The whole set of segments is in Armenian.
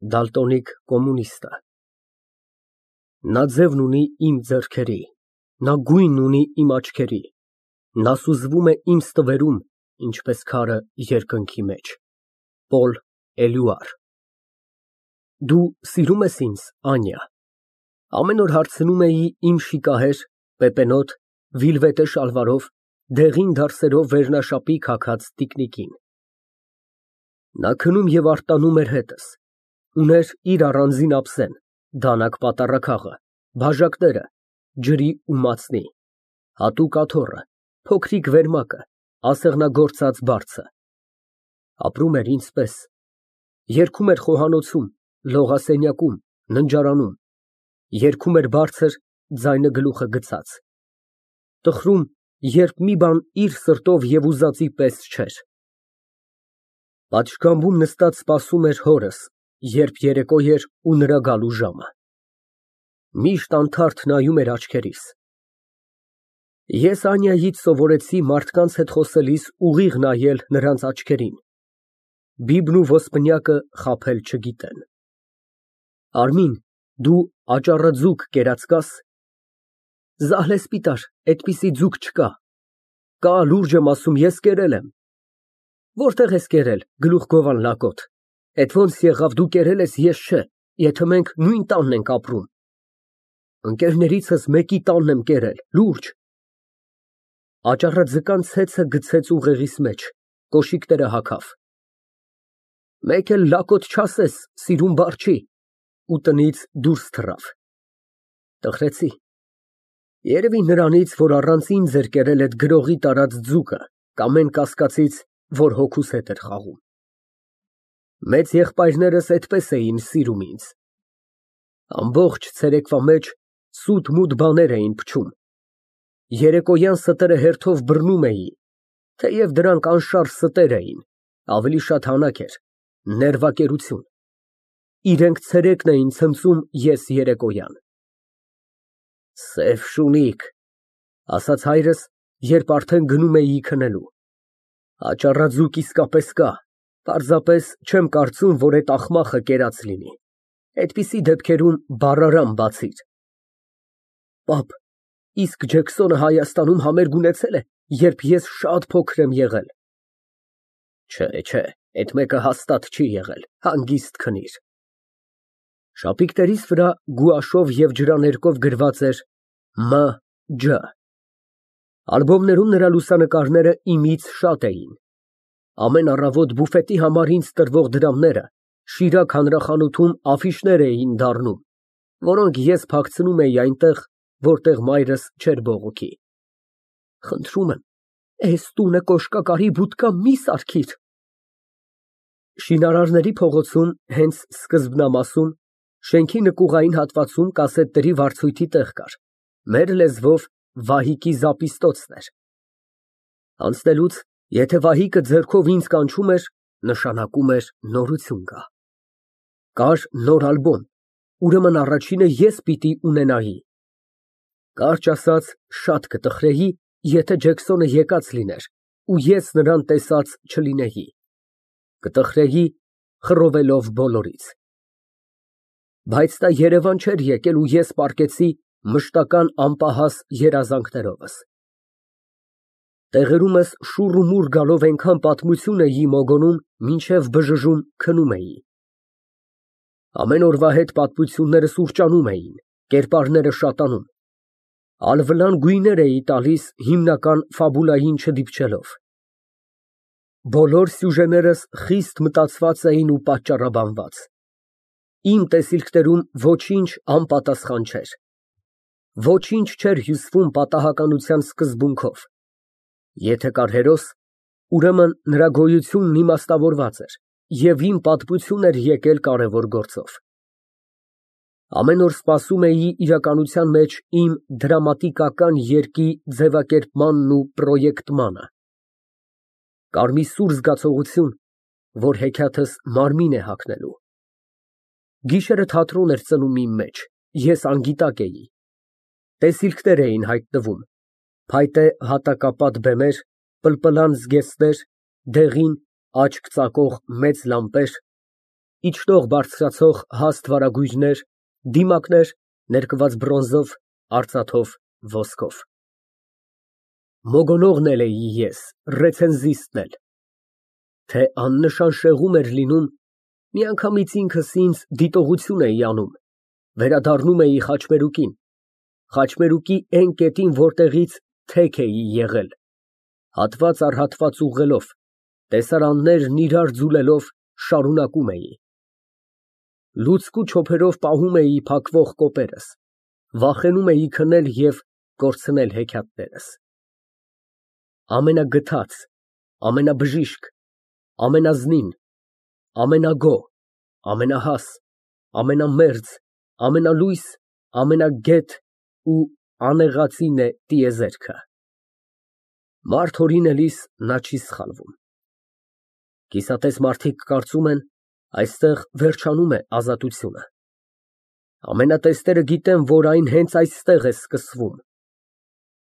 Դալտոնիկ կոմունիստը։ Նա ձևն ունի իմ ձեռքերի, նա գույնն ունի իմ աչքերի, նա սուզվում է իմ ստվերում, ինչպես քարը երկնքի մեջ։ Պոլ Էլյուար։ Դու սիրո՞ւմ ես ինձ, Անյա։ Ամեն օր հարցնում էի իմ շիկահեր, պեպենոտ, վիլվետե շալվարով, դեղին դարսերով վերնաշապի քաքած տիկնիկին։ Նա քնում և արտանում էր հետս, ուներ իր առանձին ափսեն, դանակ պատառաքաղը, բաժակները, ջրի ու մածնի, հատուկ աթոռը, փոքրիկ վերմակը, ասեղնագործած բարձը։ Ապրում էր ինձ պես, երգում էր խոհանոցում, լողասենյակում, ննջարանում, երգում էր բարձր, ձայնը գլուխը գցած, տխրում, երբ մի բան իր սրտով և ուզածի պես չէր։ Պատշգամբում նստած սպասում էր հորս, երբ երեկո էր ու նրա գալու ժամը։ Միշտ անթարթ նայում էր աչքերիս։ Ես Անյայից սովորեցի մարդկանց հետ խոսելիս ուղիղ նայել նրանց աչքերին, բիբն ու ոսպնյակը խաբել չգիտեն։ Արմին, դու աճառաձուկ կերած կա՞ս։ Զահլեսպիտար, այդպիսի ձուկ չկա։ Կա, լուրջ եմ ասում, ես կերել եմ։ Որտե՞ղ ես կերել, գլուխգովան լակոտ։ Էդ ոնց եղավ, դու կերել ես, ես չէ, եթե մենք նույն տանն ենք ապրում։ Ընկերներիցս մեկի տանն եմ կերել, լուրջ։ Աճառաձկան ցեցը գցեց ուղեղիս մեջ, կոշիկները հագավ։ Մեկ էլ լակոտ չասես, սիրուն բառ չի, ու տնից դուրս թռավ։ Տխրեցի։ Երևի նրանից, որ առանց ինձ էր կերել այդ գրողի տարած ձուկը, կամ էն կասկածից, որ հոգուս հետ էր խաղում։ Մեծ եղբայրներս այդպես էին սիրում ինձ։ Ամբողջ ցերեկվա մեջ սուտ֊մութ բաներ էին փչում։ Երեկոյան ստերը հերթով բռնում էի, թեև դրանք անշարժ ստեր էին, ավելի շատ հանակ էր, ներվակերություն։ Իրենք ցերեկն էին ցնծում, ես երեկոյան։ Սև շունիկ, ասաց հայրս, երբ արդեն գնում էի քնելու։ Աճառաձուկ իսկապես կա, պարզապես չեմ կարծում, որ այդ աղմախը կերած լինի։ Այդպիսի դեպքերում բառարան բացիր։ Պապ, իսկ Ջեքսոնը Հայաստանում համերգ ունեցել է, երբ ես շատ փոքր եմ եղել։ Չէ, այդ մեկը հաստատ չի եղել, հանգիստ քնիր։ Շապիկներիս վրա գուաշով և ջրաներկով գրված էր Մ.Ջ. Ալբոմներում նրա լուսանկարները իմից շատ էին։ Ամեն առավոտ բուֆետի համար ինձ տրվող դրամները Շիրակ հանրախանութում աֆիշներ էին դառնում, որոնք ես փակցնում էի այնտեղ, որտեղ մայրս չէր բողոքի։ Խնդրում եմ, էս տունը կոշկակարի բուդկա մի սարքիր։ Շինարարների փողոցում, հենց սկզբնամասում, շենքի նկուղային հատվածում կասետների վարձույթի տեղ կար, մեր լեզվով Վահիկի զապիստոցն էր։ Անցնելուց, եթե Վահիկը ձեռքով ինձ կանչում էր, նշանակում էր նորություն կա։ Կար նոր ալբոմ, ուրեմն առաջինը ես պիտի ունենայի։ Կարճ ասած, շատ կտխրեի, եթե Ջեքսոնը եկած լիներ, ու ես նրան տեսած չլինեի։ Կտխրեի, խռովելով բոլորից։ Բայց նա Երևան չէր եկել ու ես պառկեցի մշտական անպահաս երազանքներովս։ Տեղերումս շուռ ու մուռ գալով այնքան պատմություն էի մոգոնում, մինչև բժժում քնում էի։ Ամեն օրվա հետ պատմությունները սուրճանում էին, կերպարները շատանում։ Ալվլան գույներ էի տալիս հիմնական ֆաբուլային չդիպչելով։ Բոլոր սյուժեներս խիստ մտածված էին ու պատճառաբանված։ Իմ տեսիլքներում ոչինչ անպատասխան չէր։ Ոչինչ չէր հյուսվում պատահականության սկզբունքով։ Եթե կար հերոս, ուրեմն նրա գոյությունն իմաստավորված էր, և իմ պատմություն էր եկել կարևոր գործով։ Ամեն օր սպասում էի իրականության մեջ իմ դրամատիկական երգի ձևակերպմանն ու պրոյեկտմանը։ Կար մի սուր զգացողություն, որ հեքիաթս մարմին է հագնելու։ Գիշերը թատրոն էր ծնում իմ մեջ, ես անգիտակ էի։ Տեսիլքներ էին հայտնվում, փայտե հատակապատ բեմեր, պլպլան զգեստներ, դեղին, աչք ծակող մեծ լամպեր, իջնող բարձրացող հաստ վարագույրներ, դիմակներ, ներկված բրոնզով, արծաթով, ոսկով։ Մոգոնողն էլ էի ես, ռեցենզիստն էլ, թե աննշան շեղում էր լինում, միանգամից ինքս ինձ դիտողություն էի անում, վերադառնում էի խաչմերուկին, խաչմերուկի էն կետին, որտեղից թեք էի եղել, հատված առ հատված ուղղելով, տեսարաններն իրար ձուլելով շարունակում էի։ Լուցկու չոփերով պահում էի փակվող կոպերս, վախենում էի քնել և կորցնել հեքիաթներս։ Ամենագթած, ամենաբժիշկ, ամենազնին, ամենագոհ, ամենահաս, ամենամերձ, ամենալույս, ամենագետ ու անեղածին է տիեզերքը։ Մարդ հորինելիս նա չի սխալվում։ Կիսատես մարդիկ կարծում են, այստեղ վերջանում է ազատությունը։ Ամենատեստերը գիտեն, որ այն հենց այստեղ է սկսվում։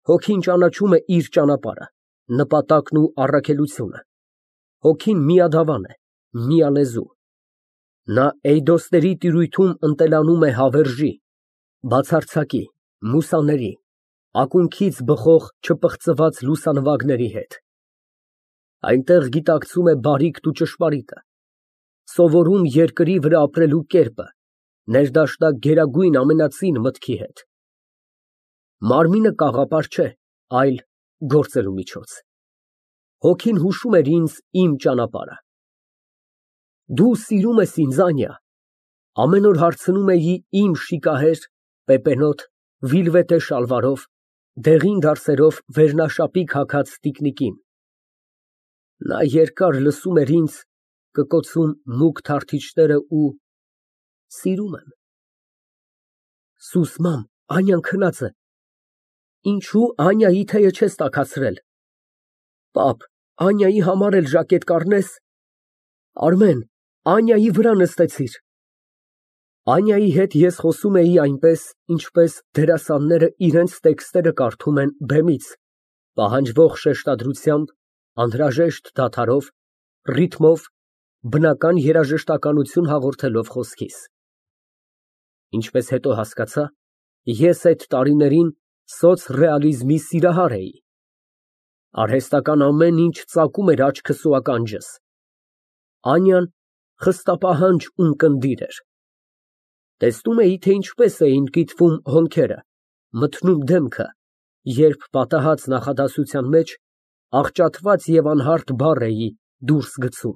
Հոգին ճանաչում է իր ճանապարհը, նպատակն ու առաքելությունը։ Հոգին միադավան է, միալեզու։ Նա էյդոսների տիրույթում ընտելանում է հավերժի, բացարձակի, մուսաների, ակունքից բխող չպղծված լուսանվագների հետ։ Այնտեղ գիտակցում է բարիքն ու ճշմարիտը, սովորում երկրի վրա ապրելու կերպը, ներդաշնակ գերագույն ամենածին մտքի հետ։ Մարմինը կաղապար չէ, այլ գործելու միջոց։ Հոգին հուշում էր ինձ իմ ճանապարհը։ Դու սիրում ես ինձ, Անյա, ամեն օր հարցնում էի իմ շիկահեր, պեպենոտ, վիլվետե շալվարով, դեղին դարսերով վերնաշապիկ հագած տիկնիկին։ Նա երկար լսում էր ինձ, կկոցում մուգ թարթիչները ու սիրում եմ։ Սուս, մամ, Անյան քնած է։ Ինչու Անյայի թեյը չես տաքացրել։ Պապ, Անյայի համար էլ ժակետ կառնես։ Արմեն, Անյայի վրա նստեցիր։ Անյայի հետ ես խոսում էի այնպես, ինչպես դերասանները իրենց տեքստերը կարդում են բեմից, պահանջվող շեշտադրությամբ, անհրաժեշտ դադարով, ռիթմով, բնական երաժշտականություն հաղորդելով խոսքիս։ Ինչպես հետո հասկացա, ես այդ տարիներին սոցռեալիզմի սիրահար էի։ Արհեստական ամեն ինչ ծակում էր աչքս ու ականջս։ Անյան խստապահանջ ունկնդիր էր։ Տեսնում էի, թե ինչպես էին կիտվում հոնքերը, մթնում դեմքը, երբ պատահած նախադասության մեջ աղճատված և անհարթ բառ էի դուրս գցում։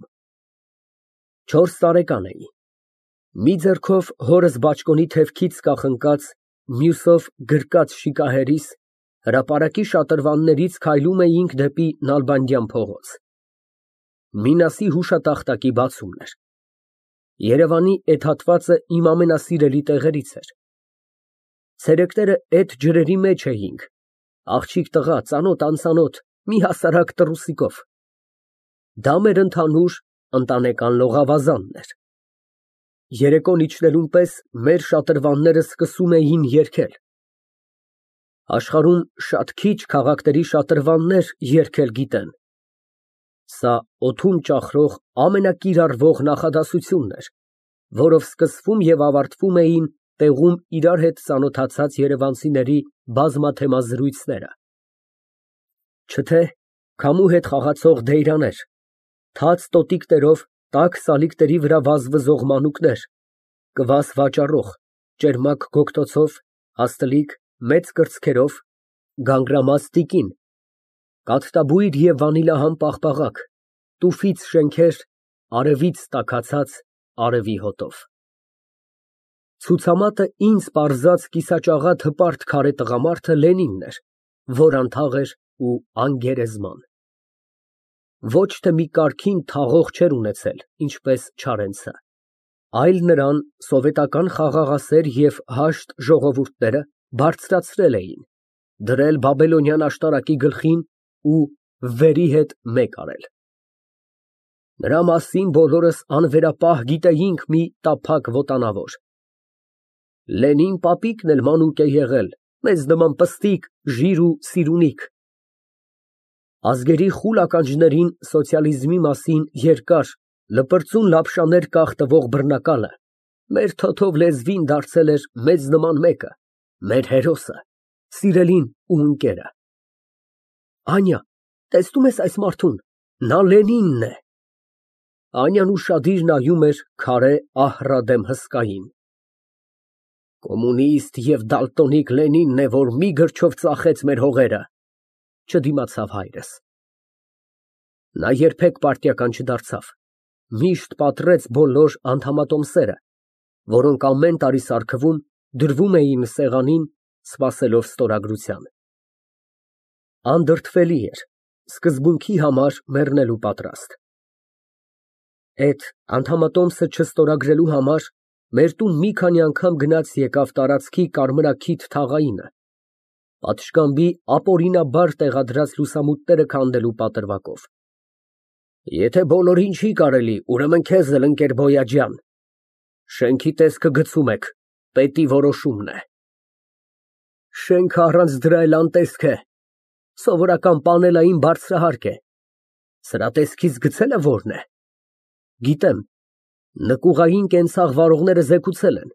4 տարեկան էի։ Մի ձեռքով հորս բաճկոնի թևքից կախնկած, մյուսով գրկած շիկահերիս, հրապարակի շատրվաններից քայլում էինք դեպի Նալբանդյան փողոց։ Մինասի հուշատախտակի բացումն էր։ Երևանի էդ հատվածը իմ ամենասիրելի տեղերից էր։ Ցերեկները էդ ջրերի մեջ էինք, աղջիկ տղա, ծանոթ-անծանոթ, մի հասարակ տռուսիկով։ Դա մեր ընդհանուր ընտանեկան լողավազանն էր։ Երեկոն իջնելուն պես մեր շատրվանները սկսում էին երգել։ Աշխարհում շատ քիչ քաղաքների շատրվաններ երգել գիտեն։ Սա օդում ճախրող ամենակիրառվող նախադասությունն էր, որով սկսվում և ավարտվում էին տեղում իրար հետ ծանոթացած երևանցիների բազմաթեմա զրույցները։ Չէ՞թե քամու հետ խաղացող դեյրաներ, թաց տոտիկներով տաք սալիկների վրա վազվզող մանուկներ, կվաս վաճառող, ճերմակ գոգտոցով, հաստլիկ, մեծ կրծքերով, գանգրամած տիկին, կաթտաբույր և վանիլահամ պաղպաղակ, տուֆից շենքեր, արևից տաքացած արևի հոտով։ Ցուցամատը ինձ պարզած կիսաճաղատ հպարտ քարե տղամարդը Լենինն էր, որ անթաղ էր ու անգերեզման։ Ոչ թե մի կարգին թաղող չէր ունեցել, ինչպես Չարենցը, այլ նրան սովետական խաղաղասեր և հաշտ ժողովուրդները բարձրացրել էին, դրել բաբելոնյան աշտարակի գլխին ու վերի հետ մեկ արել։ Նրա մասին բոլորս անվերապահ գիտեինք մի տափակ ոտանավոր։ Լենին պապիկն էլ մանուկ է եղել, մեզ նման պստիկ, ժիր ու սիրունիկ։ Ազգերի խուլ ականջներին սոցիալիզմի մասին երկար, Լպրծուն լապշաներ կախ տվող բռնակալը մեր թոթով լեզվին դարձել էր մեզ նման մեկը, մեր հերոսը, սիրելին ու ընկերը։ Անյա, տեսնո՞ւմ ես այս մարդուն, նա Լենինն է։ Անյան ուշադիր նայում էր քարե ահռադեմ հսկային։ Կոմունիստ և դալտոնիկ Լենինն է, որ մի գրչով ծախեց մեր հողերը, չդիմացավ հայրս։ Նա երբեք պարտիական չդարձավ, միշտ պատռեց բոլոր անդամատոմսերը, որոնք ամեն տարի սարքվում, դրվում էին սեղանին, սպասելով ստորագրության։ Անդրդվելի էր, սկզբունքի համար մեռնելու պատրաստ։ Էդ անդամատոմսը չստորագրելու համար մեր տուն մի քանի անգամ գնաց֊եկավ տարածքի կարմրաքիթ թաղայինը, պատշգամբի ապօրինաբար տեղադրած լուսամուտները քանդելու պատրվակով։ Եթե բոլորին չի կարելի, ուրեմն քեզ էլ, ընկեր Բոյաջյան, շենքի տեսքը գցում եք, պետի որոշումն է։ Շենքը առանց դրա էլ անտեսք է, սովորական պանելային բարձրահարկ է։ Սրա տեսքից գցելը որն է։ Գիտեմ, նկուղային կենցաղ վարողները զեկուցել են,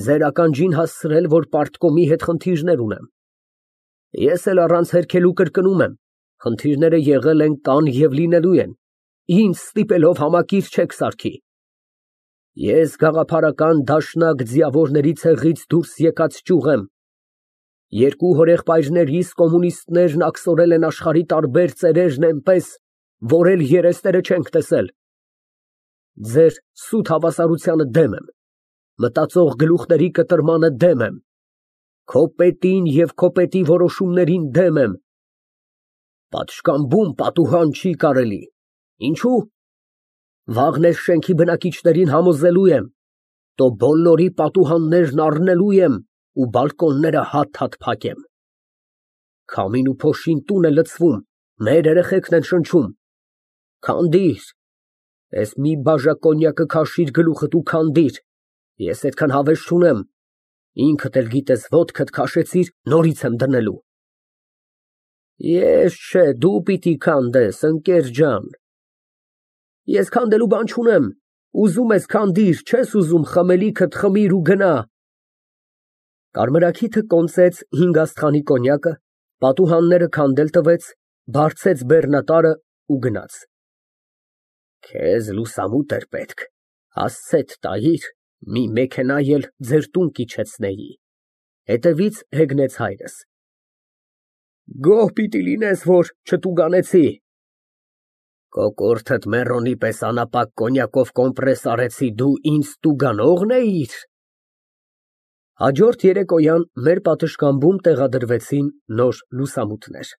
ձեր ականջին հասցրել, որ պարտկոմի հետ խնդիրներ ունեմ։ Ես էլ առանց հերքելու կրկնում եմ, խնդիրները եղել են, կան և լինելու են, ինձ ստիպելով համակիր չեք սարքի։ Ես գաղափարական դաշնակ ձիավորների ցեղից դուրս եկած ճյուղ եմ։ Երկու հորեղբայրներիս կոմունիստներն աքսորել են աշխարհի տարբեր ծերերն էնպես, որ էլ երեսները չենք տեսել։ Ձեր սուտ հավասարությանը դեմ եմ, մտածող գլուխների կտրմանը դեմ եմ, քո պետին և քո պետի որոշումներին դեմ եմ։ Պատշգամբում պատուհան չի կարելի։ Ինչո՞ւ։ Վաղն էս շենքի բնակիչներին համոզելու եմ, տո բոլորի պատուհաններն առնելու եմ ու բալկոնները հատ֊հատ փակեմ։ Քամին ու փոշին տուն է լցվում, մեր երեխեքն են շնչում։ Քանդիր, էս մի բաժակ կոնյակը քաշիր գլուխդ ու քանդիր, ես այդքան հավես չունեմ, ինքդ էլ գիտես ոտքդ քաշեցիր, նորից եմ դնելու։ Ես չէ, դու պիտի քանդես, ընկեր ջան։ Ես քանդելու բան չունեմ, ուզում ես քանդիր, չես ուզում խմելիքդ խմիր ու գնա։ Կարմրաքիթը կոնծեց 5 աստղանի կոնյակը, պատուհանները քանդել տվեց, բարձեց բեռնատարը ու գնաց։ Քեզ լուսամուտ էր պետք, հասցեդ տայիր, մի մեքենա էլ ձեր տուն կիջեցնեի։ Հետևից հեգնեց հայրս։ Գոհ պիտի լինես, որ չտուգանեցի։ Կոկորդդ մեռոնի պես անապակ կոնյակով կոմպրես արեցի, դու ինձ տուգանողն էիր։ Հաջորդ երեկոյան մեր պատշգամբում տեղադրվեցին նոր լուսամուտներ։